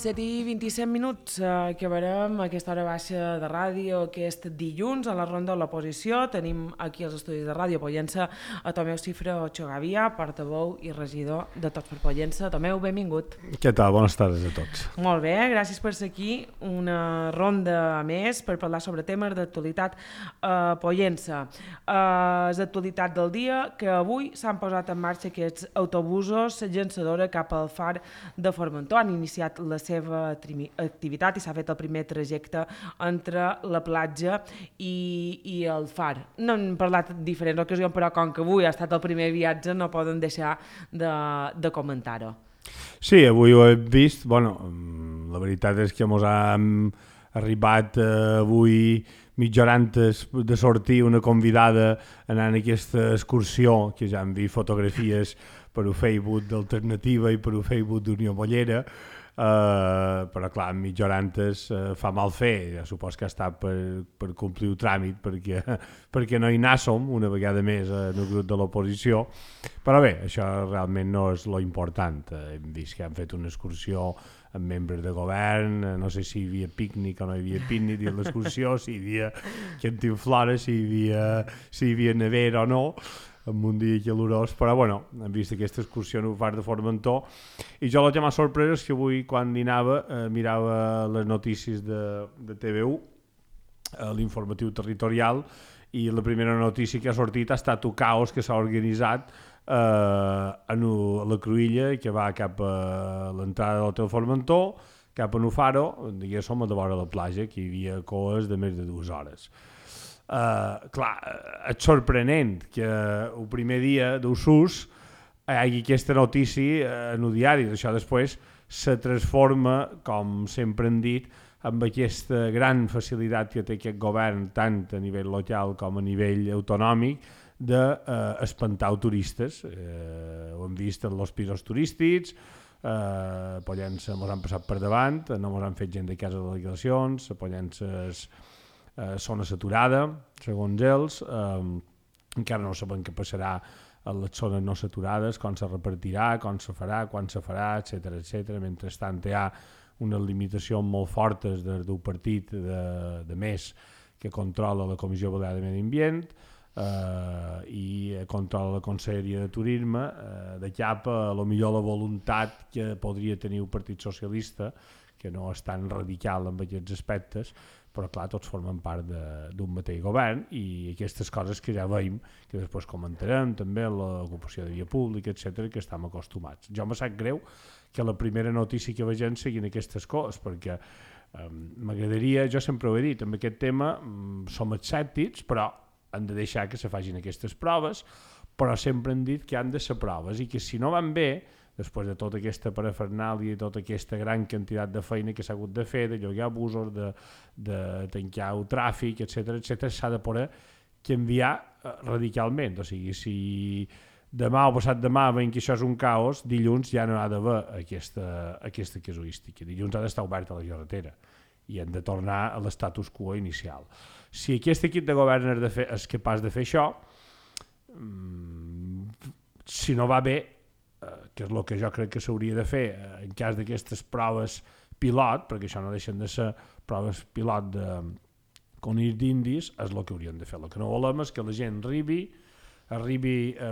7:27, acabarem aquesta hora baixa de ràdio aquest dilluns a la ronda de l'oposició. Tenim aquí als estudis de Ràdio Pollença a Tomeu Cifre Ochogavia, portaveu i regidor de Tots per Pollença. Tomeu, benvingut. Què tal? Bones tardes a tots. Molt bé, gràcies per ser aquí. Una ronda a més per parlar sobre temes d'actualitat a Pollença. És l'actualitat del dia que avui s'han posat en marxa aquests autobusos llançadora cap al far de Formentor. Han iniciat la seva activitat i s'ha fet el primer trajecte entre la platja i el far. No hem parlat en diferents ocasions, però com que avui ha estat el primer viatge no poden deixar de comentar-ho. Sí, avui ho he vist. Bueno, la veritat és que ens hem arribat avui mitja hora antes de sortir una convidada anant a aquesta excursió, que ja hem vist fotografies per un Facebook d'Alternativa i per un Facebook d'Unió Bollera, però clar, mitja hora antes fa mal fer. Ja supos que ha estat per complir el tràmit perquè no hi anàssim una vegada més en el grup de l'oposició, però bé, això realment no és lo important. Hem vist que han fet una excursió amb membres de govern, no sé si hi havia pícnic o no hi havia pícnic a l'excursió, si hi havia cantinflores, si hi havia nevera o no, en un dia calorós, però bueno, hem vist aquesta excursió en el far de Formentor i jo el que m'ha sorprès és que avui quan dinava mirava les notícies de TV1, l'informatiu territorial, i la primera notícia que ha sortit ha estat un caos que s'ha organitzat a la Cruïlla, que va cap a l'entrada de l'Hotel Formentor, cap a Nufaro, diguéssim, a de vora la platja, que hi havia coes de més de 2 hores. Clar, és sorprenent que el primer dia d'Usus hi hagi aquesta notícia en el diari. Això després se transforma, com sempre hem dit, amb aquesta gran facilitat que té aquest govern, tant a nivell local com a nivell autonòmic, d'espantar turistes. Ho hem vist en els pisos turístics, Pollença ens han passat per davant, no ens han fet gent de casa de delegacions, Pollença és zona saturada, segons ells, encara no sabem què passarà a les zones no saturades, com se repartirà, com se farà, quan se farà, etc. Mentrestant hi ha unes limitacions molt fortes del partit de més que controla la Comissió Balear de Medi Ambient i controla la Conselleria de Turisme, de cap a millor la voluntat que podria tenir el Partit Socialista, que no és tan radical en aquests aspectes, però clar, tots formen part d'un mateix govern i aquestes coses que ja veiem, que després comentarem, també l'ocupació de via pública, etc., que estem acostumats. Jo me sap greu que la primera notícia que vegem siguin aquestes coses, perquè m'agradaria, jo sempre ho he dit, amb aquest tema som escèptics, però han de deixar que se facin aquestes proves, però sempre han dit que han de ser proves i que si no van bé, després de tota aquesta parafernàlia i tota aquesta gran quantitat de feina que s'ha hagut de fer, de llogar busos, de tancar el tràfic, etc., s'ha de poder canviar radicalment. O sigui, si demà o passat demà veiem que això és un caos, dilluns ja no ha d'haver aquesta casuística. Dilluns ha d'estar oberta la carretera i hem de tornar a l'estatus quo inicial. Si aquest equip de govern és capaç de fer això, si no va bé, que és el que jo crec que s'hauria de fer en cas d'aquestes proves pilot, perquè això no deixen de ser proves pilot de conills d'indis, és el que haurien de fer. El que no volem és que la gent arribi,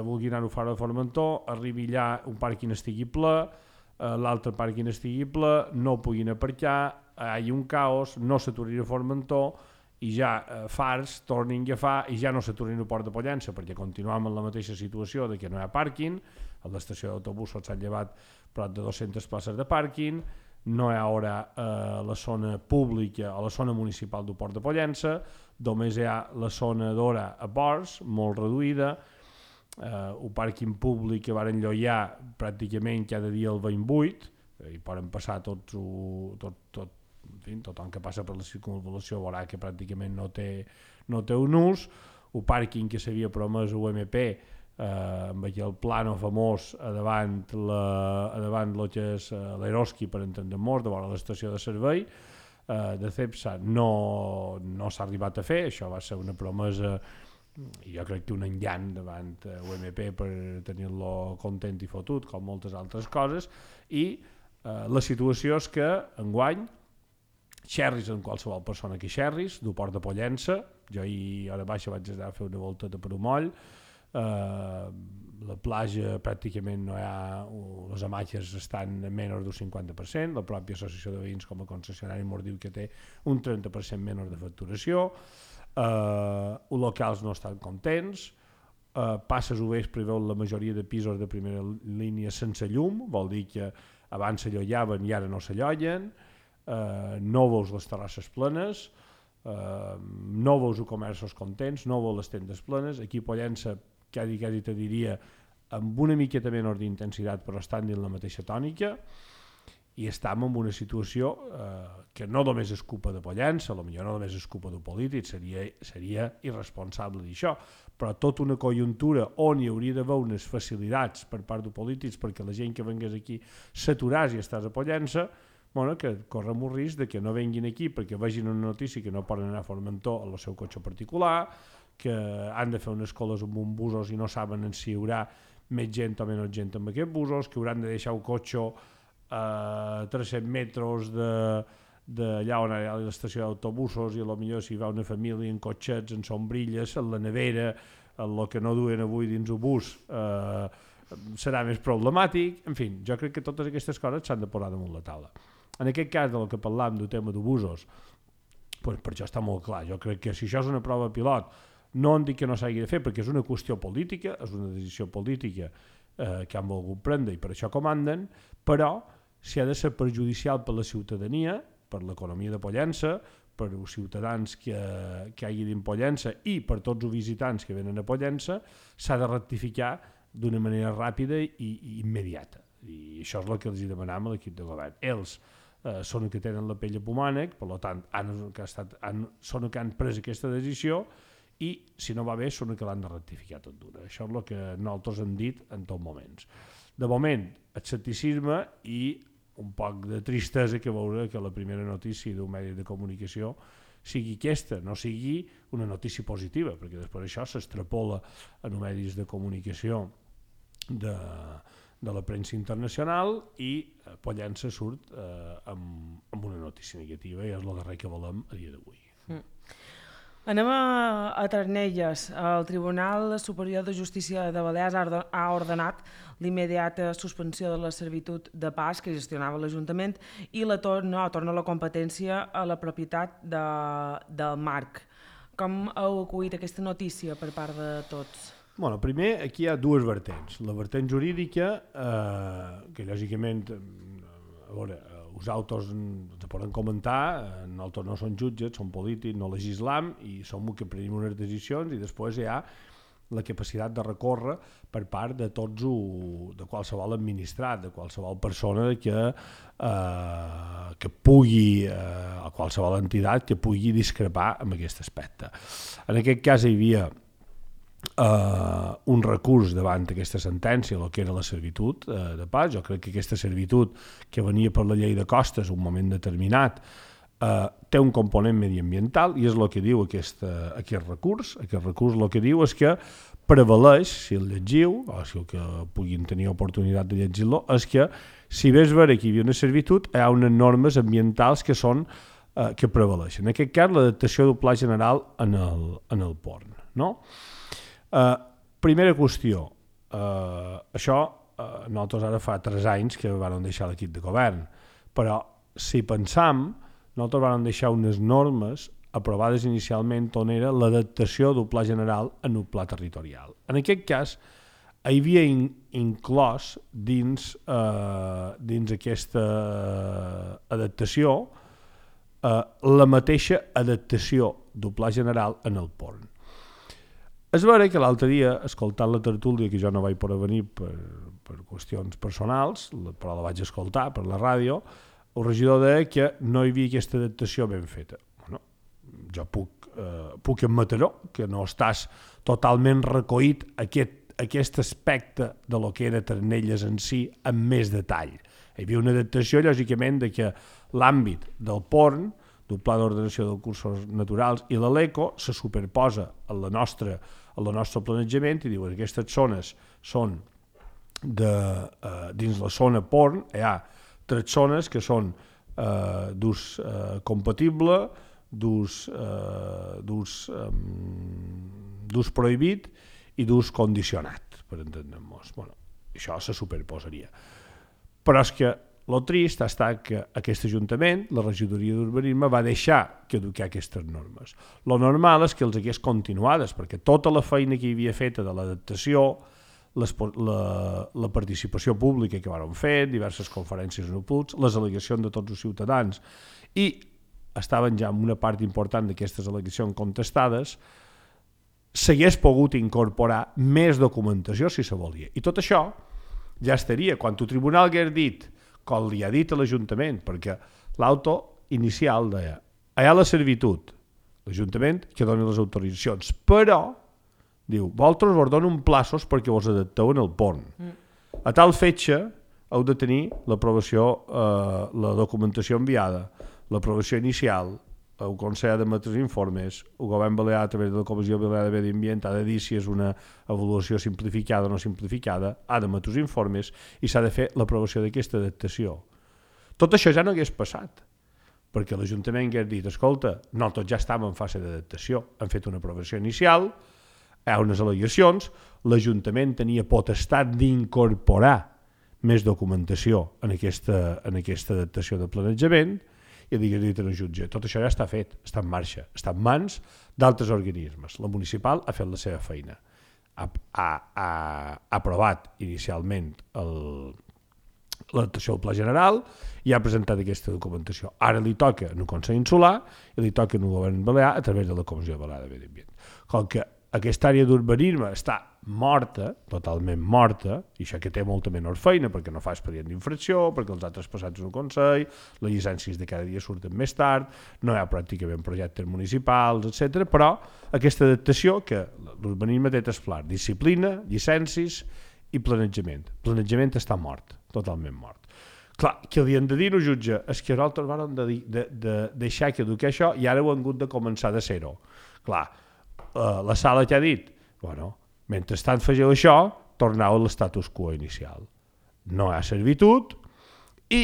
vulgui anar a far de Formentor, arribi allà, un pàrquing estigui ple, l'altre pàrquing estigui ple, no puguin aparcar, hi hagi un caos, no s'aturin a Formentor, i ja fars tornin a agafar i ja no s'aturin a Port de Pollença, perquè continuem en la mateixa situació de que no hi ha pàrquing, a l'estació d'autobusos s'han llevat prop de 200 places de pàrquing, no hi ha ara la zona pública o la zona municipal del Port de Pollença, només hi ha la zona d'hora a ports, molt reduïda, el pàrquing públic que van enlloiar pràcticament cada dia el 28, i poden passar tothom que passa per la circunvalació veurà que pràcticament no té un ús, el pàrquing que s'havia promès UMP amb aquell plano famós a davant el que és l'Eroski, per entendre'ns, de vora l'estació de servei de CEPSA, no s'ha arribat a fer. Això va ser una promesa i jo crec que un engany davant UMP per tenir-lo content i fotut, com moltes altres coses, i La situació és que, enguany, xerris en qualsevol persona que xerris, du Port de Pollença, jo ahir a hora baixa vaig anar a fer una volteta per un moll, la platja pràcticament no hi ha, les hamatges estan a menys d'un 50%, la pròpia associació de veïns com a concessionari ens diu que té un 30% menys de facturació, els locals no estan contents, passes obers preveu la majoria de pisos de primera línia sense llum, vol dir que abans s'allollaven i ara no s'allollen, no veus les terrasses plenes, no veus els comerços contents, no veus les tendes plenes. Aquí a Pollença quasi te diria amb una miqueta menys d'intensitat però estan dins la mateixa tònica i estem en una situació que no només és culpa de Pollença, potser no només és culpa d'un polític, seria irresponsable d'això, però tota una conjuntura on hi hauria d'haver unes facilitats per part de polítics perquè la gent que vengués aquí s'aturàs i estàs a Pollença, que correm un risc de que no venguin aquí perquè vegin una notícia que no poden anar a Formentor en el seu cotxe particular, que han de fer unes coles amb uns busos i no saben si hi haurà més gent o menys gent amb aquests busos, que hauran de deixar el cotxe a 300 metres d'allà on hi ha l'estació d'autobusos i potser si va una família en cotxets, en sombrilles, en la nevera, el que no duen avui dins el bus serà més problemàtic. En fi, jo crec que totes aquestes coses s'han de posar damunt la taula. En aquest cas del que parlàvem del tema d'autobusos, per això està molt clar. Jo crec que si això és una prova pilot, no en dic que no s'hagi de fer perquè és una qüestió política, és una decisió política que han volgut prendre i per això comanden, però si ha de ser perjudicial per la ciutadania, per l'economia de Pollença, per els ciutadans que hagin Pollença i per tots els visitants que venen a Pollença, s'ha de rectificar d'una manera ràpida i immediata. I això és el que els demanam a l'equip de govern. Ells són els que tenen la pell a pomànec, per tant, són els que han pres aquesta decisió i, si no va bé, són els que l'han de rectificar tot d'una. Això és el que nosaltres hem dit en tots moments. De moment, escepticisme i un poc de tristesa que veure que la primera notícia d'un medi de comunicació sigui aquesta, no sigui una notícia positiva, perquè després això s'extrapola en els medis de comunicació de la premsa internacional i Pollença surt amb una notícia negativa i és el darrer que volem a dia d'avui. Anem a Ternelles. El Tribunal Superior de Justícia de Balears ha ordenat l'immediata suspensió de la servitud de pas que gestionava l'Ajuntament i torna la competència a la propietat del Marc. Com heu acollit aquesta notícia per part de tots? Bueno, primer, aquí hi ha dues vertents. La vertent jurídica, que lògicament, a veure, els autors ens poden comentar, nosaltres no som jutges, som polítics, no legislam i som els que prenem unes decisions i després hi ha la capacitat de recórrer per part de tots, de qualsevol administrat, de qualsevol persona que pugui, o qualsevol entitat que pugui discrepar amb aquest aspecte. En aquest cas hi havia un recurs davant d'aquesta sentència, el que era la servitud de pas. Jo crec que aquesta servitud que venia per la llei de costes en un moment determinat té un component mediambiental i és el que diu aquest recurs. Aquest recurs el que diu és que prevaleix, si el llegiu, o si el que puguin tenir oportunitat de llegir-lo, és que si ves veure que hi havia una servitud, hi ha unes normes ambientals que prevaleixen. En aquest cas, l'adaptació del pla general en el port. No? Primera qüestió, això nosaltres ara fa 3 anys que vam deixar l'equip de govern, però si pensam, nosaltres vam deixar unes normes aprovades inicialment on era l'adaptació del pla general en el pla territorial. En aquest cas, hi havia inclòs dins aquesta adaptació la mateixa adaptació del pla general en el port. És vera que l'altre dia, escoltant la tertúlia, que jo no vaig poder venir per qüestions personals, però la vaig escoltar per la ràdio, el regidor deia que no hi havia aquesta adaptació ben feta. Bueno, jo puc admetre que no estàs totalment recollit aquest aspecte de lo que era Ternelles en si amb més detall. Hi havia una adaptació, lògicament, de que l'àmbit del port, del Pla d'Ordenació dels Recursos Naturals i la LECO se superposa al nostre planejament i diuen que aquestes zones són dins la zona port, hi ha 3 zones que són d'ús compatible, d'ús prohibit i d'ús condicionat, per entendre'ns. Bueno, això se superposaria. Però és que el trist ha estat que aquest Ajuntament, la regidoria d'urbanisme, va deixar caducar aquestes normes. Lo normal és que els hagués continuades, perquè tota la feina que hi havia feta de l'adaptació, la participació pública que vàrem fer, diverses conferències en UPUTs, les al·legacions de tots els ciutadans, i estaven ja en una part important d'aquestes al·legacions contestades, s'hagués pogut incorporar més documentació si se volia. I tot això ja estaria. Quan el tribunal hagués dit, com li ha dit a l'Ajuntament, perquè l'auto inicial deia hi ha la servitud, l'Ajuntament que doni les autoritzacions, però diu, vosaltres vos donen plaços perquè vos adapteu en el pont. A tal fetge heu de tenir l'aprovació, la documentació enviada, l'aprovació inicial, el Consell ha d'emetre informes, el Govern Balear a través de la Comissió Balear de Medi Ambient ha de dir si és una avaluació simplificada o no simplificada, ha d'emetre els informes i s'ha de fer l'aprovació d'aquesta adaptació. Tot això ja no hagués passat, perquè l'Ajuntament hagués dit, escolta, nosaltres ja estàvem en fase d'adaptació, hem fet una aprovació inicial, hi ha unes al·legacions, l'Ajuntament tenia potestat d'incorporar més documentació en aquesta adaptació de planejament, i digués dit en el jutge, tot això ja està fet, està en marxa, està en mans d'altres organismes. La municipal ha fet la seva feina, ha aprovat inicialment l'adaptació del Pla General i ha presentat aquesta documentació. Ara li toca en el Consell Insular i li toca en el Govern Balear a través de la Comissió Balear de Medi Ambient. Com que aquesta àrea d'urbanisme està morta, totalment morta, i això que té molta menor feina perquè no fa expedient d'infracció, perquè els altres passats en el Consell, les llicències de cada dia surten més tard, no hi ha pràcticament projectes municipals, etc. Però aquesta adaptació que l'urbanisme té tres plans, disciplina, llicències i planejament. Planejament està mort, totalment mort. Clar, què li han de dir al jutge? És que nosaltres vam de deixar que educar això i ara ho han hagut de començar de zero. Clar, la sala que ha dit, bueno, mentrestant fegeu això, torneu a l'estatus quo inicial. No hi ha servitud i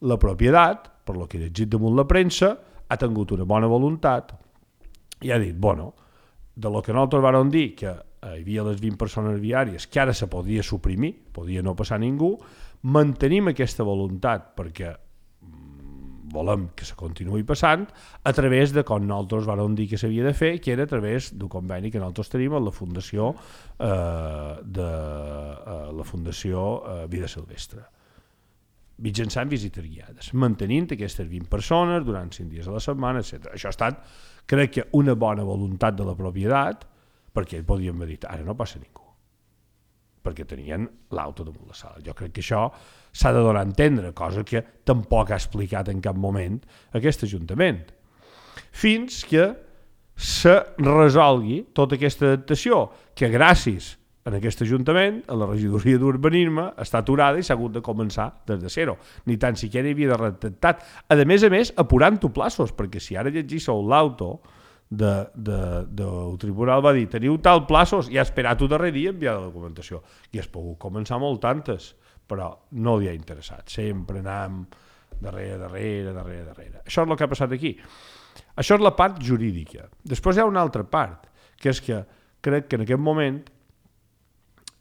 la propietat, per lo que he llegit damunt la premsa, ha tingut una bona voluntat i ha dit, bueno, de lo que nosaltres vam dir, que hi havia les 20 persones viàries, que ara se podia suprimir, podia no passar ningú, mantenim aquesta voluntat perquè volem que se continuï passant a través de com nosaltres vam dir que s'havia de fer, que era a través del conveni que nosaltres tenim amb la Fundació Vida Silvestre, mitjançant visites guiades, mantenint aquestes 20 persones durant 5 dies a la setmana, etc. Això ha estat, crec que, una bona voluntat de la propietat, perquè podíem haver dit, ara no passa ningú, perquè tenien l'auto damunt la sala. Jo crec que això s'ha de donar a entendre, cosa que tampoc ha explicat en cap moment aquest Ajuntament. Fins que se resolgui tota aquesta adaptació, que gràcies a aquest Ajuntament, a la regidoria d'urbanisme, està aturada i s'ha hagut de començar des de zero. Ni tan siquiera hi havia de redactar. A més, apurant-ho plaços, perquè si ara llegíssiu l'auto del tribunal va dir, teniu tal plaços, i ha esperat el darrer dia enviar la documentació. I has pogut començar molt tantes, però no li ha interessat. Sempre anàvem darrere. Això és el que ha passat aquí. Això és la part jurídica. Després hi ha una altra part, que és que crec que en aquest moment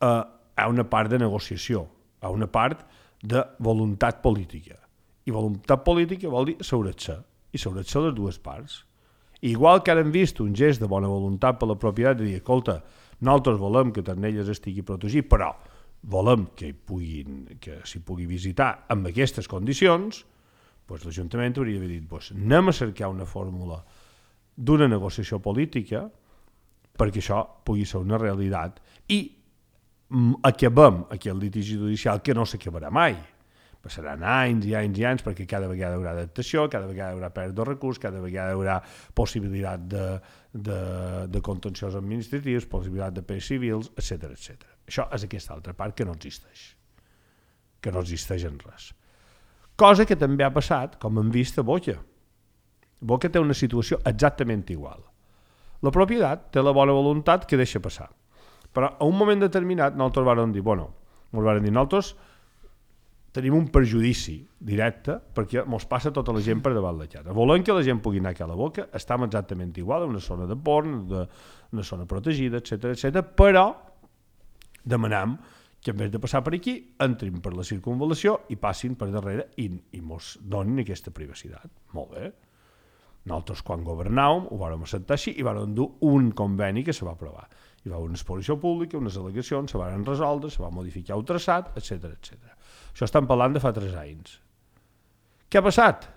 hi ha una part de negociació, hi ha una part de voluntat política. I voluntat política vol dir seure't-se, i seure't-se les dues parts. Igual que ara hem vist un gest de bona voluntat per la propietat de dir, escolta, nosaltres volem que Ternelles estigui protegit, però volem que s'hi pugui visitar amb aquestes condicions, doncs l'Ajuntament hauria d'haver dit, doncs anem a cercar una fórmula d'una negociació política perquè això pugui ser una realitat i acabem aquest litigi judicial que no s'acabarà mai. Passaran anys i anys i anys perquè cada vegada hi haurà adaptació, cada vegada hi haurà pèrdua de recurs, cada vegada hi haurà possibilitat de contenciós administratius, possibilitat de pers civils, etc. Això és aquesta altra part que no existeix en res. Cosa que també ha passat, com hem vist a Boca. Boca té una situació exactament igual. La propietat té la bona voluntat que deixa passar. Però a un moment determinat nosaltres vam dir, nosaltres tenim un perjudici directe perquè ens passa tota la gent per davant la cara. Volem que la gent pugui anar a la boca, estem exactament igual, en una zona de porn, una zona protegida, etc, però demanem que en vez de passar per aquí, entrin per la circunvalació i passin per darrere i mos donin aquesta privacitat. Molt bé. Nosaltres, quan governàvem, ho vàrem acceptar així i vàrem dur un conveni que se va aprovar. Hi va haver una exposició pública, unes al·legacions, se van resoldre, se va modificar el traçat, etc. Això estem parlant de fa 3 anys. Què ha passat?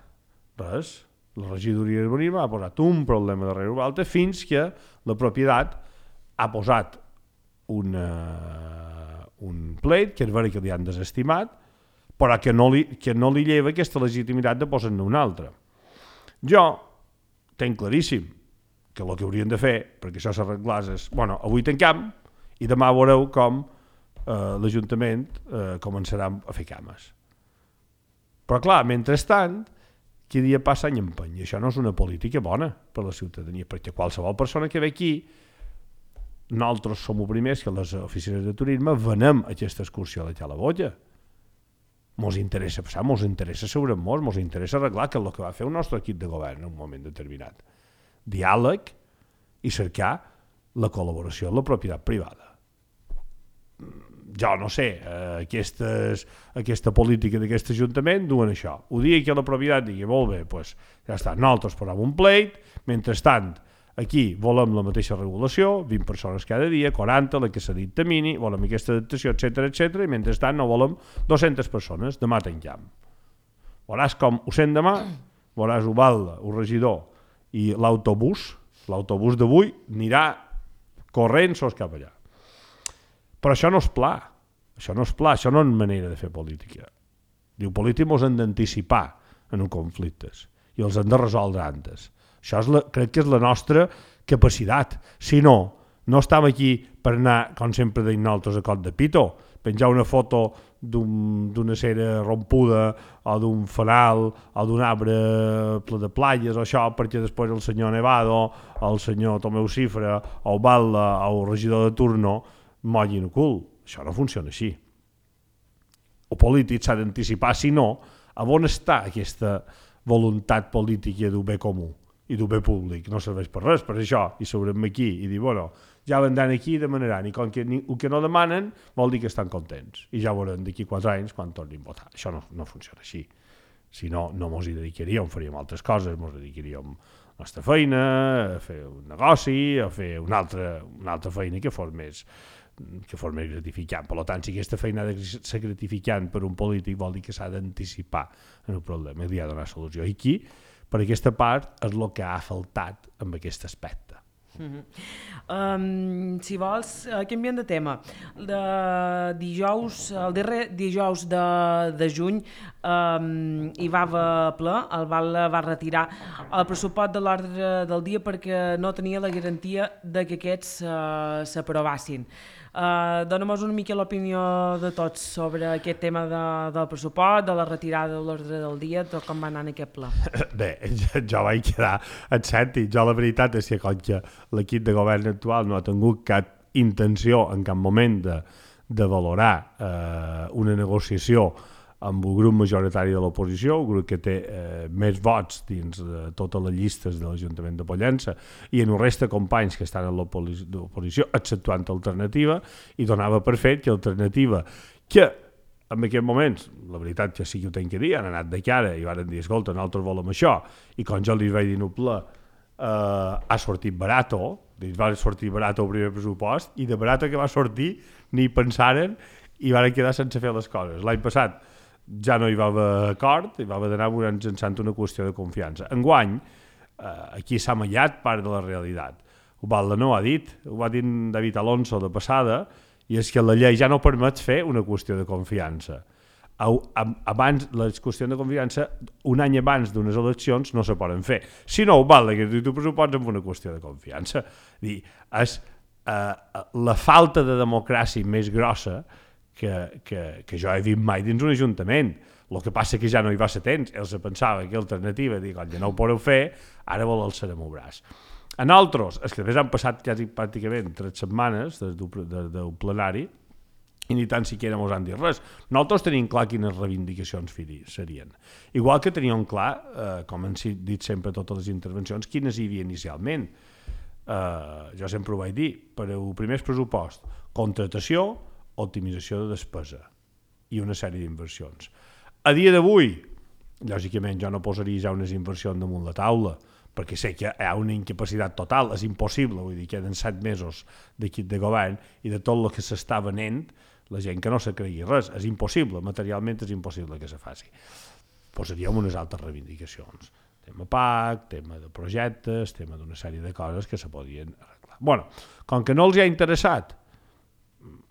Res. La regidoria d'urbanisme ha posat un problema darrere l'altre fins que la propietat ha posat un pleit, que és vera que li han desestimat, però que no li lleva aquesta legitimitat de posar-ne un altre. Jo tenc claríssim que el que haurien de fer, perquè això s'arreglés, és, bueno, avui tancam i demà veureu com l'Ajuntament començarà a fer cames. Però clar, mentrestant, cada dia passa any empeny, i això no és una política bona per a la ciutadania, perquè qualsevol persona que ve aquí, nosaltres som els primers que les oficines de turisme venem aquesta excursió a la Calabolla. Mos interessa passar, mos interessa assegurar mos interessa arreglar, que és el que va fer el nostre equip de govern en un moment determinat. Diàleg i cercar la col·laboració amb la propietat privada. Jo no sé, aquesta política d'aquest Ajuntament duen això. Ho digui que la propietat digui, molt bé, doncs ja està, nosaltres posem un pleit, mentrestant, aquí volem la mateixa regulació, 20 persones cada dia, 40, la que s'ha dit termini, volem aquesta adaptació, etc, i mentrestant no volem 200 persones, demà tanquem. Veuràs com ho sent demà, veuràs Ubalda, el regidor i l'autobús d'avui anirà corrent sols cap allà. Però això no és pla, això no és manera de fer política. Diu, política ens hem d'anticipar en uns conflictes i els hem de resoldre antes. Això crec que és la nostra capacitat. Si no, no estem aquí per anar, com sempre deim nosaltres, a cot de pito, penjar una foto d'una cera rompuda o d'un fanal o d'un arbre ple de plagues o això, perquè després el senyor Nevado, el senyor Tomeu Cifra o Balda o el regidor de turno mollin el cul. Això no funciona així. El polític s'ha d'anticipar, si no, a on està aquesta voluntat política d'un bé comú i d'un bé públic? No serveix per res, per això, i sobrem aquí i dir, bueno, ja vendran aquí i demanaran, i com que el que no demanen vol dir que estan contents, i ja veurem d'aquí 4 anys quan tornin a votar. Això no funciona així. Si no, no mos hi dedicaríem, faríem altres coses, mos dedicaríem a la nostra feina, a fer un negoci, a fer una altra feina que fos més gratificant. Per tant, si aquesta feina ha de ser gratificant per un polític, vol dir que s'ha d'anticipar en el problema i li ha de donar solució. I aquí, per aquesta part, és el que ha faltat amb aquest aspecte. Si vols, canviem de tema. El darrer dijous de juny hi va haver ple, el va retirar el pressupost de l'ordre del dia perquè no tenia la garantia de que aquests s'aprovassin. Dóna-nos una mica l'opinió de tots sobre aquest tema del pressupost, de la retirada de l'ordre del dia, tot com va anar en aquest pla. Bé, jo vaig quedar escèptic. Jo la veritat és que com que l'equip de govern actual no ha tingut cap intenció en cap moment de valorar una negociació amb el grup majoritari de l'oposició, el grup que té més vots dins de totes les llistes de l'Ajuntament de Pollença, i en el resta de companys que estan en l'oposició, exceptuant Alternativa, i donava per fet que Alternativa, que en aquest moments, la veritat que sí que ho tenc que dir, han anat de cara i van dir, escolta, nosaltres volem això, i com jo li vaig dir noble, ha sortit barato, va sortir barato el primer pressupost, i de barato que va sortir ni pensaren i van quedar sense fer les coses. L'any passat ja no hi va haver acord, hi va haver d'anar mitjançant una qüestió de confiança. Enguany, aquí s'ha mallat part de la realitat. Ubalda no ho ha dit, ho va dir David Alonso de passada, i és que la llei ja no permet fer una qüestió de confiança. Abans, les qüestions de confiança, un any abans d'unes eleccions no se poden fer. Si no, Ubalda, que tu pressupots amb una qüestió de confiança. És la falta de democràcia més grossa que jo he vist mai dins un ajuntament. El que passa que ja no hi va ser temps, ells pensava que Alternativa, dic, ja no ho podeu fer, ara vol alçar-me el braç. A nosaltres, és que després han passat quasi pràcticament 3 setmanes del plenari, i ni tan siquiera mos han dit res. Nosaltres tenim clar quines reivindicacions serien. Igual que teníem clar, com han dit sempre totes les intervencions, quines hi havia inicialment. Jo sempre ho vaig dir, per al primer pressupost, contratació, optimització de despesa i una sèrie d'inversions. A dia d'avui, lògicament jo no posaria ja unes inversions damunt la taula, perquè sé que hi ha una incapacitat total, és impossible, vull dir, queden 7 mesos d'equip de govern i de tot el que s'està venent, la gent que no se cregui res, és impossible, materialment és impossible que se faci. Posaríem unes altres reivindicacions, tema PAC, tema de projectes, tema d'una sèrie de coses que se podien arreglar. Bueno, com que no els ha interessat,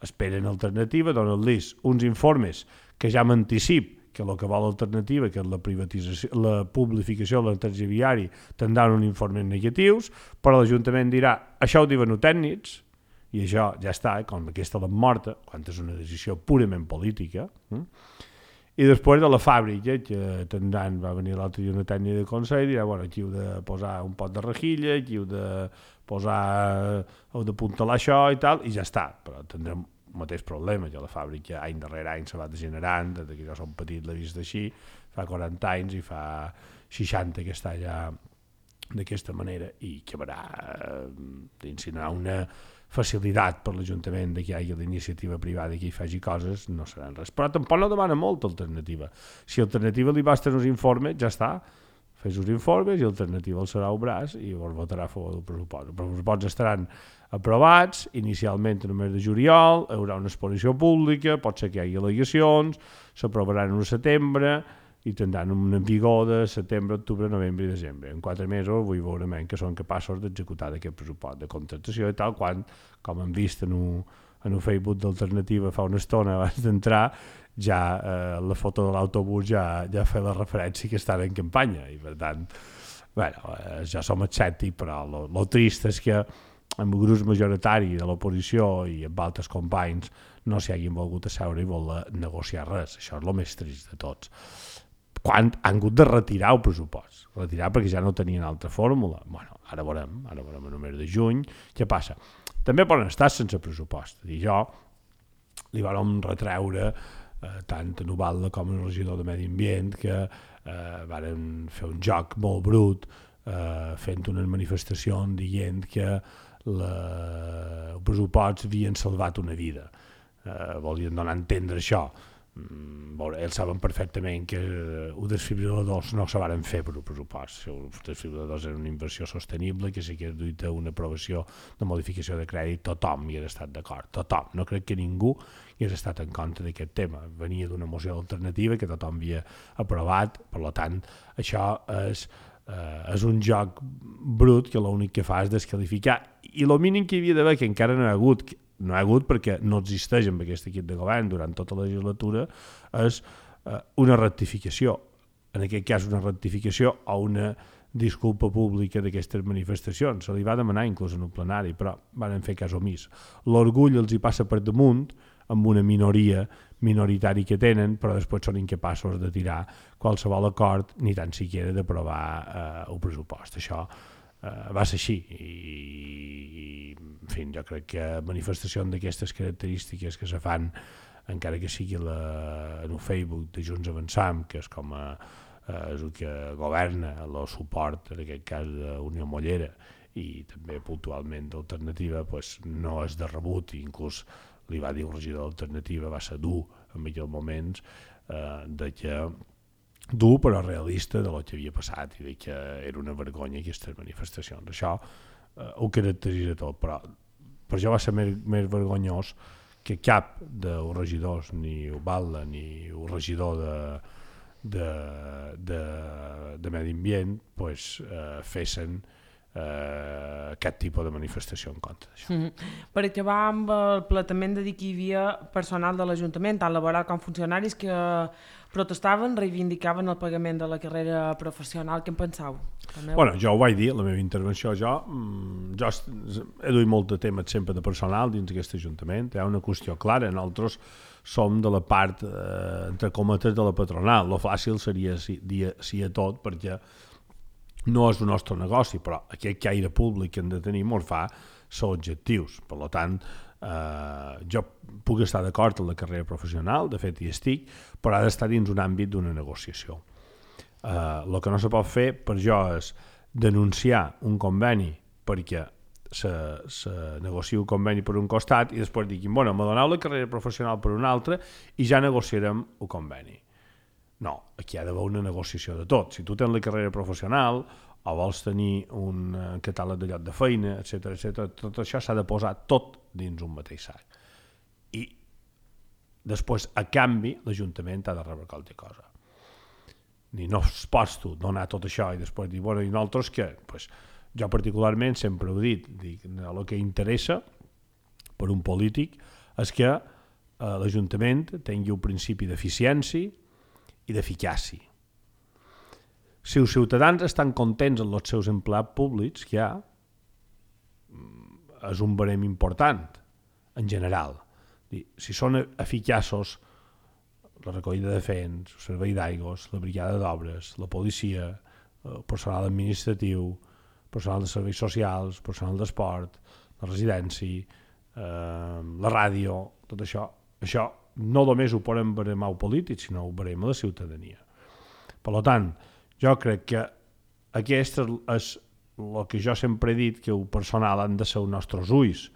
esperen alternativa, donen-los uns informes que ja m'anticip que el que vol l'alternativa, que és la privatització, la publificació de l'entretge viari, tindran uns informes negatius, però l'Ajuntament dirà, això ho diuen els tècnics, i això ja està, com aquesta l'han morta, quan és una decisió purament política. I després de la fàbrica, que tindran, va venir l'altre dia una tècnica de consell, dirà, bueno, aquí heu de posar un pot de rejilla, aquí heu de posar, heu d'apuntalar això i tal, i ja està, però tindrem el mateix problema, que la fàbrica any darrere any se va degenerant, des que jo som petit l'he vist així, fa 40 anys i fa 60 que està allà d'aquesta manera, i que haurà d'incinerar una facilitat per l'Ajuntament que hi hagi l'iniciativa privada que hi faci coses, no seran res. Però tampoc no demana molta alternativa. Si alternativa li basten uns informes, ja està, fes uns informes i alternativa el serà un braç i llavors votarà a favor del pressupost. Els pressupostos estaran aprovats, inicialment en el mes de juliol, hi haurà una exposició pública, pot ser que hi hagi al·legacions, s'aprovaran en setembre i tindran un vigor de setembre, octubre, novembre i desembre. En 4 mesos vull veure que són capaços d'executar aquest pressupost de contractació i tal, quan, com hem vist en un Facebook d'Alternativa fa una estona abans d'entrar, ja la foto de l'autobús ja fa la referència que estan en campanya i per tant, bueno, ja som escèptics, però el trist és que amb el grup majoritari de l'oposició i amb altres companys no s'hi hagin volgut asseure i voler negociar res. Això és el més trist de tots. Quan han hagut de retirar el pressupost, retirar perquè ja no tenien altra fórmula. Bueno, ara veurem en el mes de juny què passa. També poden estar sense pressupost. I jo li vam retreure tant a Novalda com al regidor de Medi Ambient que varen fer un joc molt brut fent unes manifestacions dient que els pressuposts havien salvat una vida. Volien donar a entendre això. Ells saben perfectament que els desfibriladors no se van fer per un pressupost. Els desfibriladors eren una inversió sostenible que si hagués duit a una aprovació de modificació de crèdit tothom hi hagués estat d'acord, tothom. No crec que ningú hi hagués estat en contra d'aquest tema. Venia d'una moció alternativa que tothom havia aprovat, per tant això és un joc brut que l'únic que fa és desqualificar, i el mínim que hi havia d'haver, que encara no hi ha hagut perquè no existeix amb aquest equip de govern durant tota la legislatura, és una rectificació, en aquest cas una rectificació o una disculpa pública d'aquestes manifestacions. Se li va demanar inclús en un plenari, però van fer cas omís. L'orgull els hi passa per damunt amb una minoritari que tenen, però després són incapaços de tirar qualsevol acord ni tan siquiera d'aprovar el pressupost. Això va ser així i en fi, jo crec que manifestacions d'aquestes característiques que se fan, encara que sigui en el Facebook de Junts Avançam, que és com és el que governa el suport, en aquest cas d'Unió Mollera i també puntualment d'Alternativa, pues, no és de rebut, i inclús li va dir el regidor d'Alternativa, va ser dur en aquells moments, dur però realista de lo que havia passat i que era una vergonya aquestes manifestacions. Això ho caracteritza tot, però per això va ser més vergonyós que cap dels regidors, ni Ubalda ni el regidor de Medi Ambient, pues, fessin aquest tipus de manifestació en contra d'això. Per acabar amb el planejament de dir que hi havia personal de l'Ajuntament, tant laboral com funcionaris, que protestaven, reivindicaven el pagament de la carrera professional. Què en penseu? Bueno, jo ho vaig dir, la meva intervenció, jo he duit molt de temes sempre de personal dins d'aquest Ajuntament. Hi ha una qüestió clara, nosaltres som de la part, entre cometes, de la patronal. Lo fàcil seria dir sí a tot, perquè no és el nostre negoci, però aquest caire públic que hem de tenir ens fa ser objectius. Per tant, jo puc estar d'acord en la carrera professional, de fet hi estic, però ha d'estar dins un àmbit d'una negociació. El que no se pot fer per jo és denunciar un conveni perquè se negocia un conveni per un costat i després diguin, bueno, me doneu la carrera professional per un altre i ja negociarem el conveni. No, aquí hi ha d'haver una negociació de tot. Si tu tens la carrera professional o vols tenir un catàleg de lloc de feina, etc., tot això s'ha de posar tot dins un mateix sac. I després, a canvi, l'Ajuntament ha de rebre qualque cosa. Ni no pots tu donar tot això i després dir, bueno, i nosaltres què? Pues, jo particularment sempre ho dic, el que interessa per un polític és que l'Ajuntament tingui un principi d'eficiència i d'eficàcia. Si els ciutadans estan contents amb els seus empleats públics, que hi ha, és un barem important, en general. Si són eficaços, la recollida de fens, el servei d'aigües, la brigada d'obres, la policia, el personal administratiu, personal de serveis socials, personal d'esport, la residència, la ràdio, tot això no només ho podem baremar els polítics, sinó ho barem a la ciutadania. Per tant, jo crec que aquest és el que jo sempre he dit, que el personal han de ser els nostres ulls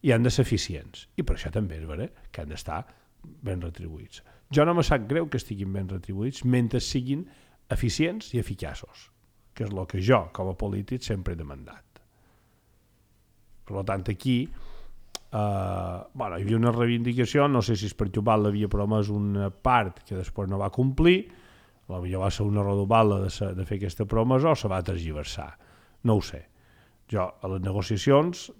i han de ser eficients. I per això també és veritat que han d'estar ben retribuïts. Jo no me sap greu que estiguin ben retribuïts mentre siguin eficients i eficaços, que és el que jo, com a polític, sempre he demandat. Per tant, aquí hi havia una reivindicació, no sé si és perquè Ubal havia promès una part que després no va complir, potser va ser una rodobala de fer aquesta promesa o se va tergiversar, no ho sé. Jo a les negociacions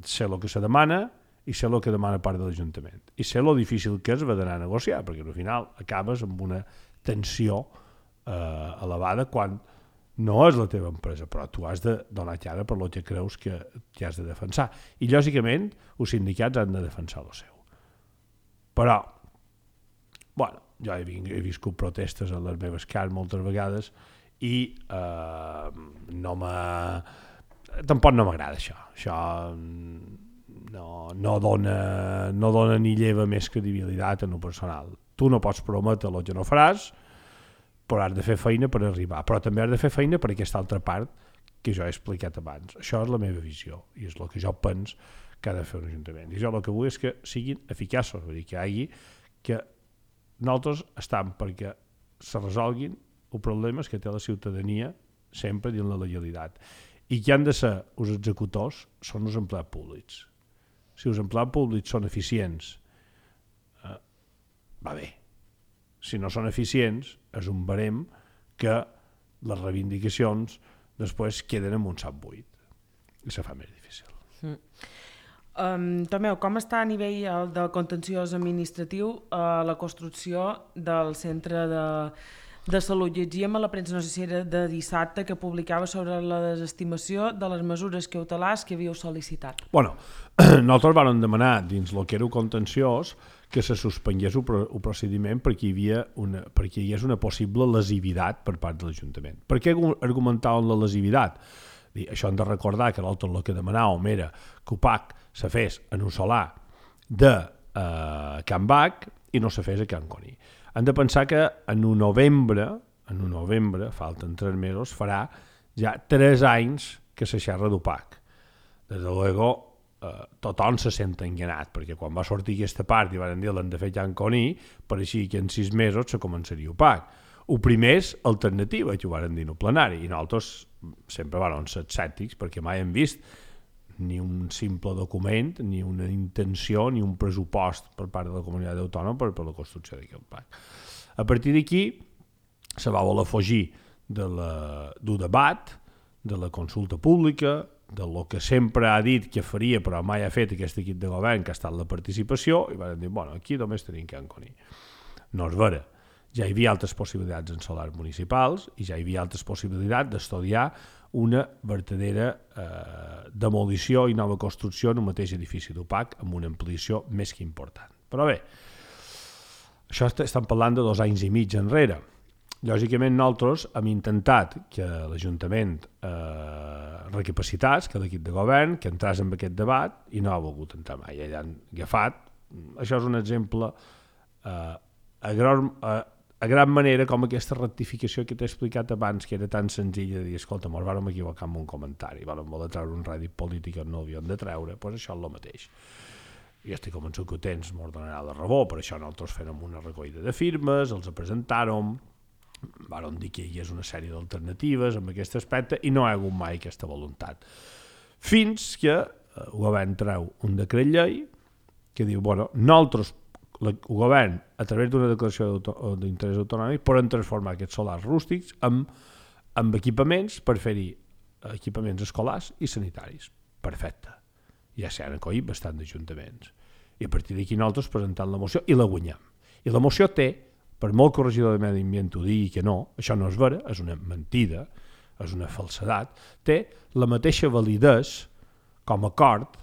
sé el que se demana i sé el que demana part de l'Ajuntament i sé el difícil que és d'anar a negociar, perquè al final acabes amb una tensió elevada quan no és la teva empresa, però tu has de donar cara per el que creus que has de defensar. I, lògicament, els sindicats han de defensar el seu. Però, jo he viscut protestes a les meves cases moltes vegades i tampoc no m'agrada això. Això no dona ni lleva més credibilitat en el personal. Tu no pots prometre el que no faràs, però has de fer feina per arribar, però també has de fer feina per aquesta altra part que jo he explicat abans. Això és la meva visió i és el que jo penso que ha de fer un ajuntament. I jo el que vull és que siguin eficaços, vull dir que hi hagi que nosaltres estem perquè se resolguin els problemes que té la ciutadania sempre dins la legalitat i que han de ser els executors són els empleats públics. Si els empleats públics són eficients, va bé. Si no són eficients, és un barem que les reivindicacions després queden en un sac buit i se fa més difícil. Tomeu, com està a nivell del contenciós administratiu la construcció del centre de salut? Llegíem a la premsa, no sé si era de dissabte, que publicava sobre la desestimació de les mesures cautelars que havíeu sol·licitat. Nosaltres vam demanar dins el que era el contenciós que se suspengués el procediment perquè hi hagués una possible lesivitat per part de l'Ajuntament. Per què argumentaven la lesivitat? Això hem de recordar que l'altre el que demanàvem era que UPAC se fes en un solar de Can Bac i no se fes a Can Coni. Hem de pensar que en un novembre, falten 3 mesos, farà ja 3 anys que se xerra d'UPAC. Des de luego, tothom se sent enganat, perquè quan va sortir aquesta part i van dir l'han de fer Can Coni, pareixia que en 6 mesos se començaria UPAC. El primer és alternativa, que ho van dir en el plenari, i nosaltres sempre vam ser escèptics perquè mai hem vist ni un simple document, ni una intenció, ni un pressupost per part de la comunitat autònoma per la construcció d'aquest parc. A partir d'aquí se va voler fugir del debat, de la consulta pública, de lo que sempre ha dit que faria però mai ha fet aquest equip de govern, que ha estat la participació, i van dir, aquí només tenim Can Coni. No és vera. Ja hi havia altres possibilitats en solars municipals i ja hi havia altres possibilitats d'estudiar una verdadera demolició i nova construcció en un mateix edifici d'UPAC amb una ampliació més que important. Però bé, això estem parlant de 2 anys i mig enrere. Lògicament nosaltres hem intentat que l'Ajuntament recapacités, que l'equip de govern, que entrés en aquest debat i no ha volgut entrar mai. Ell han agafat això és un exemple a gran manera com aquesta rectificació que t'he explicat abans, que era tan senzilla de dir, escolta, mos vàrem equivocar amb un comentari, vàrem voler treure un rèdit polític que no havíem de treure, doncs això és el mateix. I estic convençut que ho tens, mos donarà la raó, per això nosaltres fèiem una recollida de firmes, els presentàrem, vàrem dir que hi hagués una sèrie d'alternatives en aquest aspecte i no hi ha hagut mai aquesta voluntat. Fins que el govern treu un decret llei que diu, bueno, nosaltres, el govern, a través d'una declaració d'interès autonòmic, poden transformar aquests solars rústics en equipaments per fer-hi equipaments escolars i sanitaris. Perfecte. Ja s'han acollit bastant d'ajuntaments. I a partir d'aquí nosaltres presentem la moció i la guanyem. I la moció té, per molt corregidor de medi ambient ho digui que no, això no és vera, és una mentida, és una falsedat, té la mateixa validesa com a acord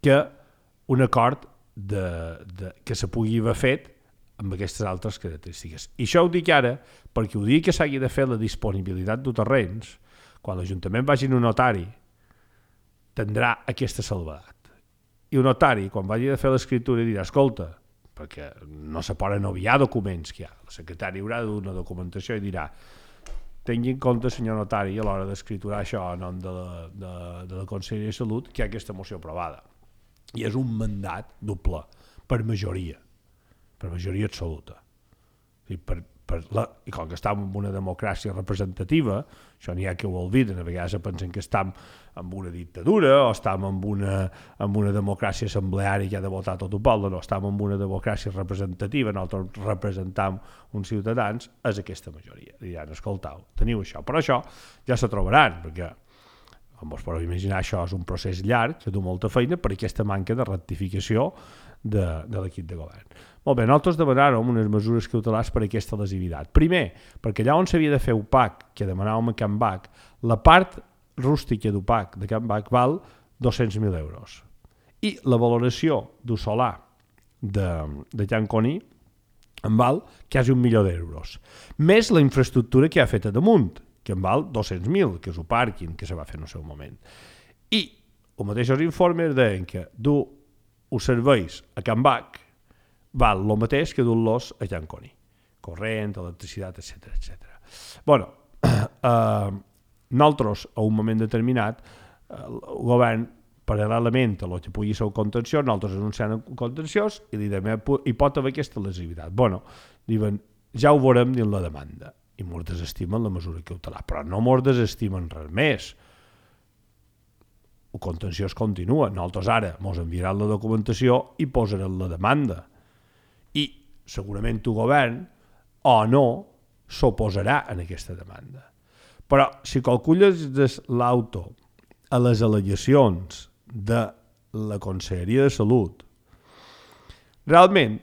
que un acord que se pugui haver fet amb aquestes altres característiques. I això ho dic ara perquè ho dic que s'hagi de fer la disponibilitat de terrenys, quan l'Ajuntament vagi a un notari, tindrà aquesta salvadat. I un notari, quan vagi a fer l'escriptura, dirà, escolta, perquè no se poden obviar documents que hi ha, el secretari haurà de dur una documentació i dirà, tingui en compte, senyor notari, a l'hora d'escriturar això en nom de la Conselleria de Salut, que hi ha aquesta moció aprovada. I és un mandat doble, per majoria absoluta. I com que estem en una democràcia representativa, això n'hi ha que ho obliden, a vegades pensen que estem en una dictadura o estem en una democràcia assembleària que ha de votar tot el poble, no, estem en una democràcia representativa, nosaltres representam uns ciutadans, és aquesta majoria. Diran, escoltau, teniu això, però això ja se trobaran, perquè com us podeu imaginar, això és un procés llarg, que du molta feina per aquesta manca de rectificació de l'equip de govern. Molt bé, nosaltres demanàrem unes mesures cautelars per aquesta lesivitat. Primer, perquè allà on s'havia de fer UPAC, que demanàvem a Can Bac, la part rústica d'UPAC de Can Bac val 200.000 euros. I la valoració d'un solar de Can Coni en val quasi 1 milió d'euros. Més la infraestructura que ha fet a damunt, que en val 200.000, que és un pàrquing que se va fer en el seu moment. I els mateixos informes deien que dur els serveis a Can Bac val el mateix que dur-los a Can Coni. Corrent, electricitat, etc. Bueno, nosaltres, a un moment determinat, el govern, paral·lelament a el que pugui ser el contenciós, nosaltres anunciant el contenciós i li dèiem, hi pot haver aquesta lesivitat. Bueno, diuen, ja ho veurem dins la demanda. I mos desestimen la mesura cautelar, però no mos desestimen res més. El contenciós continua. Nosaltres ara mos enviaran la documentació i posaran la demanda. I segurament el govern, o no, s'oposarà a aquesta demanda. Però si calcules l'auto a les al·legacions de la Conselleria de Salut, realment,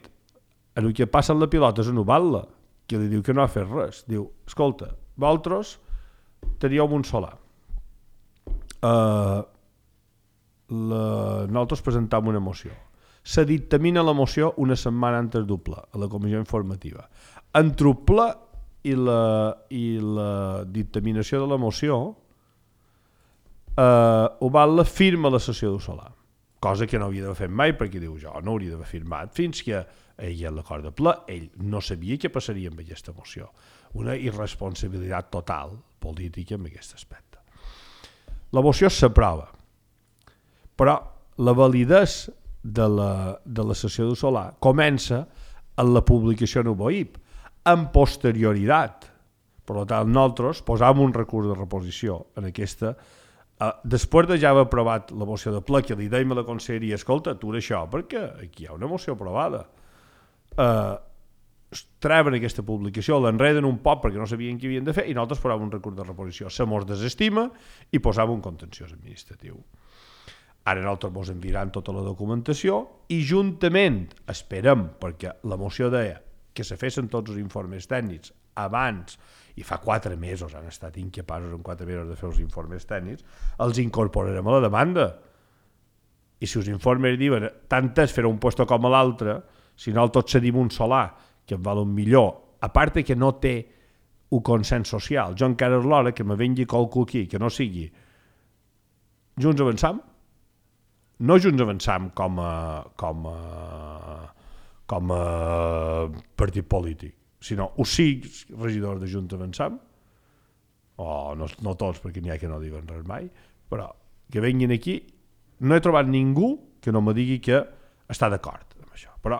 el que passa en la pilota és anular-la, que li diu que no ha fet res. Diu, escolta, vosaltres teníeu un solar. Nosaltres presentam una moció. Se dictamina la moció una setmana antes doble, a la comissió informativa. Entre el ple i la dictaminació de la moció, ho val la firma a la sessió del solar. Cosa que no havia d'haver fet mai, perquè diu, jo no hauria d'haver firmat fins que ell en l'acord de ple, ell no sabia què passaria amb aquesta moció. Una irresponsabilitat total política en aquest aspecte. La moció s'aprova, però la validesa de la sessió del solar comença en la publicació en UBOIP, en posterioritat. Per tant, nosaltres posàvem un recurs de reposició en aquesta. Després de ja haver aprovat la moció de ple, que li dèiem a la conselleria, escolta, atura això, perquè aquí hi ha una moció aprovada. Treuen aquesta publicació, l'enreden un poc perquè no sabien què havien de fer i nosaltres posàvem un recurs de reposició. Se mos desestima i posàvem un contenciós administratiu. Ara nosaltres mos enviaran tota la documentació i juntament, esperem, perquè la moció deia que se fessin tots els informes tècnics abans, i fa 4 mesos han estat incapaços en 4 mesos de fer els informes tècnics, els incorporarem a la demanda. I si els informes diuen tant és fer un puesto com a l'altre, si nosaltres cedim un solar que em val un millor, a part que no té un consens social, jo encara és l'hora que me vengui qualcú aquí, que no sigui Junts Avançam, no Junts Avançam com a partit polític, sinó els 5 regidors de Junts Avançam, o no tots, perquè n'hi ha que no diuen res mai, però que venguin aquí. No he trobat ningú que no me digui que està d'acord amb això. Però,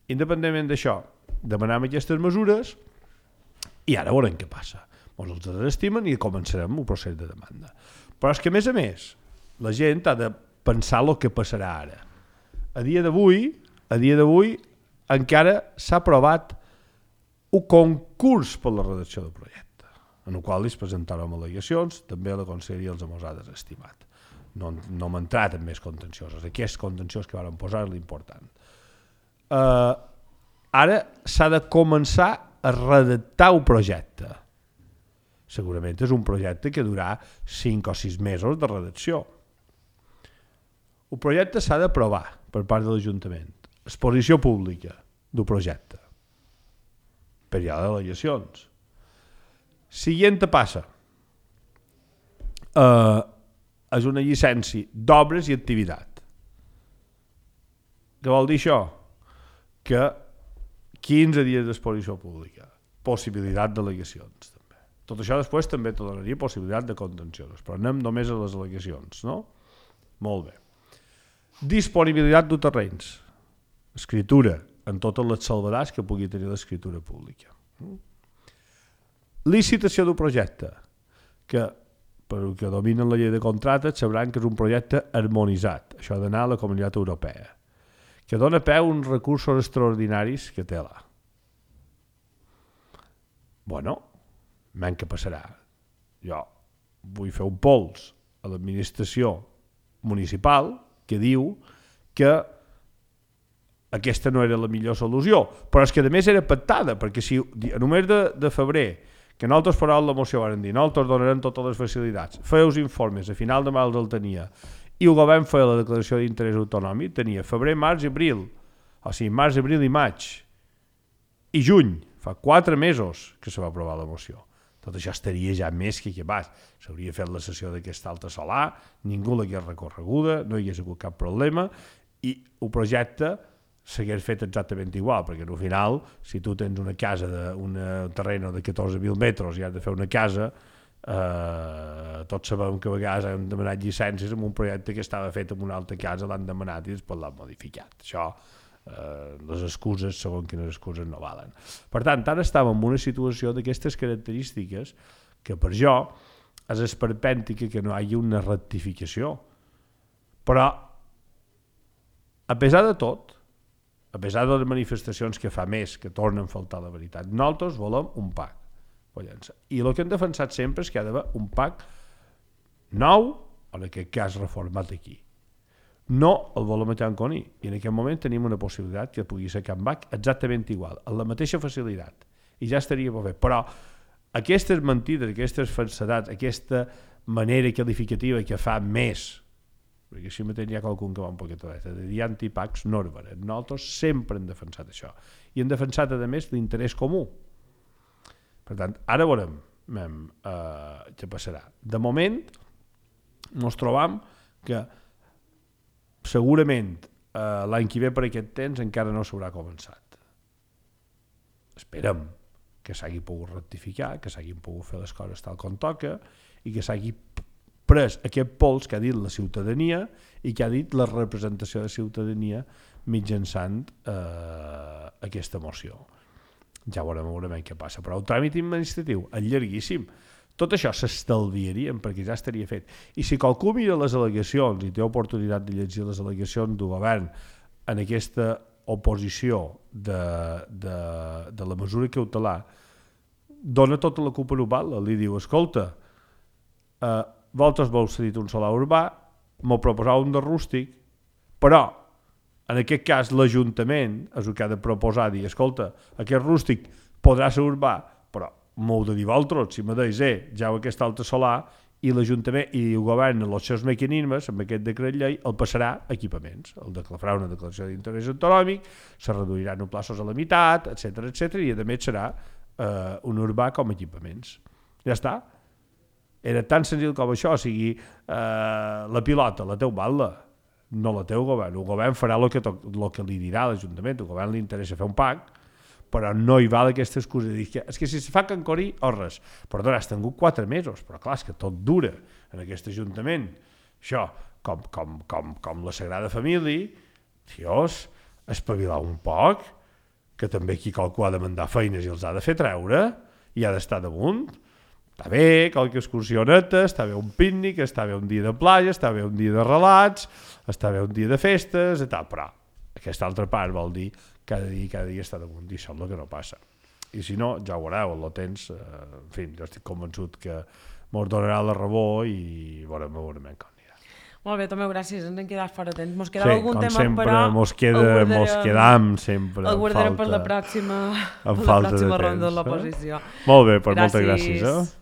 independentment d'això, demanem aquestes mesures i ara veurem què passa. Ens els desestimen i començarem un procés de demanda. Però és que, a més, la gent ha de pensar el que passarà ara. A dia d'avui encara s'ha aprovat un concurs per la redacció del projecte, en el qual es presentaran al·legacions, també la Conselleria els ha desestimat. No hem entrat en més contenciosos. Aquest contenciós que van posar és l'important. Ara s'ha de començar a redactar un projecte. Segurament és un projecte que durarà 5 o 6 mesos de redacció. El projecte s'ha d'aprovar per part de l'Ajuntament. Exposició pública del projecte. Període d'al·legacions. Siguiente passa. És una llicència d'obres i activitat. Què vol dir això? Que 15 dies d'exposició pública. Possibilitat d'al·legacions. Tot això després també te donaria possibilitat de contenciosos, però anem només a les al·legacions, no? Molt bé. Disponibilitat de terrenys. Escritura, en totes les salvedats que pugui tenir l'escritura pública. Licitació del projecte, que per que dominen la llei de contractes sabran que és un projecte harmonitzat, això ha d'anar a la Comunitat Europea, que dona peu a uns recursos extraordinaris que té là. Bueno, men què passarà? Jo vull fer un pols a l'administració municipal que diu que aquesta no era la millor solució, però és que a més era pactada, perquè si en el mes de febrer, que nosaltres parlàvem la moció, van dir, nosaltres donarem totes les facilitats, feia els informes, a final de març el tenia, i el govern feia la declaració d'interès autonòmic, tenia febrer, març i abril, o sigui, març, abril i maig, i juny, fa 4 mesos que se va aprovar la moció. Tot això estaria ja més que acabat. S'hauria fet la sessió d'aquesta alta solar, ningú l'hagués recorreguda, no hi hagués hagut cap problema, i el projecte s'hagués fet exactament igual, perquè al final, si tu tens una casa, un terreny de 14.000 metres i has de fer una casa, tots sabem que a vegades hem demanat llicències en un projecte que estava fet en una altra casa, l'han demanat i després l'han modificat. Això, les excuses, segons quines excuses, no valen. Per tant, ara estàvem en una situació d'aquestes característiques que per jo és esperpèntica que no hi hagi una rectificació. Però, a pesar de tot, a pesar de les manifestacions que fa més que tornen a faltar la veritat, nosaltres volem un PAC. I el que hem defensat sempre és que hi ha d'haver un PAC nou, en aquest cas reformat aquí. No el volem a Can Coní, i en aquest moment tenim una possibilitat que pugui ser Can Bac exactament igual, amb la mateixa facilitat, i ja estaria bé. Però aquestes mentides, aquestes falsedats, aquesta manera qualificativa que fa més, perquè si mateix hi ha qualcun que va un poquet de dir antipacs, no és vera. Nosaltres sempre hem defensat això, i hem defensat a més l'interès comú. Per tant, ara veurem què passarà. De moment ens trobam que segurament l'any que ve per aquest temps encara no s'haurà començat. Esperem que s'hagi pogut rectificar, que s'hagin pogut fer les coses tal com toca i que s'hagi pres aquest pols que ha dit la ciutadania i que ha dit la representació de ciutadania mitjançant aquesta moció. Ja veurem què passa, però el tràmit administratiu és llarguíssim. Tot això s'estalviarien perquè ja estaria fet. I si qualcú mira les al·legacions i té oportunitat de llegir les al·legacions del govern en aquesta oposició de la mesura cautelar, dona tota la culpa global. Li diu, escolta, vosaltres vau cedir un solar urbà, m'ho proposau un de rústic, però en aquest cas l'Ajuntament és el que ha de proposar, dir, escolta, aquest rústic podrà ser urbà, però m'ho heu de dir vosaltres, si me deis, ja aquesta alta solar, i l'Ajuntament i el govern, els seus mecanismes, amb aquest decret llei, el passarà a equipaments. El farà una declaració d'interès autonòmic, se reduiran els plaços a la meitat, etc i a més serà un urbà com a equipaments. Ja està. Era tan senzill com això, o sigui, la pilota, la teu balla. no la té el govern farà el que li dirà l'Ajuntament, el govern li interessa fer un PAC, però no hi val aquesta excusa de dir que és que si se fa Can Corí o res, perdó, has tingut 4 mesos, però clar, és que tot dura en aquest Ajuntament, això, com la Sagrada Família, tios, espavilar un poc, que també aquí qualcú ha de mandar feines i els ha de fer treure, i ha d'estar damunt. Està bé qualque excursioneta, està bé un pícnic, està bé un dia de platja, està bé un dia de relats, està bé un dia de festes, i tal, però aquesta altra part vol dir cada dia està damunt, i això és el que no passa. I si no, ja ho veureu, el temps, en fi, jo estic convençut que mos donarà la raó i veurem com anirà. Molt bé, Tomeu, gràcies, ens hem quedat fora temps. Mos quedava algun tema, sempre, però... mos quedam sempre. El guardarem per la pròxima ronda de l'oposició. Molt bé, moltes gràcies.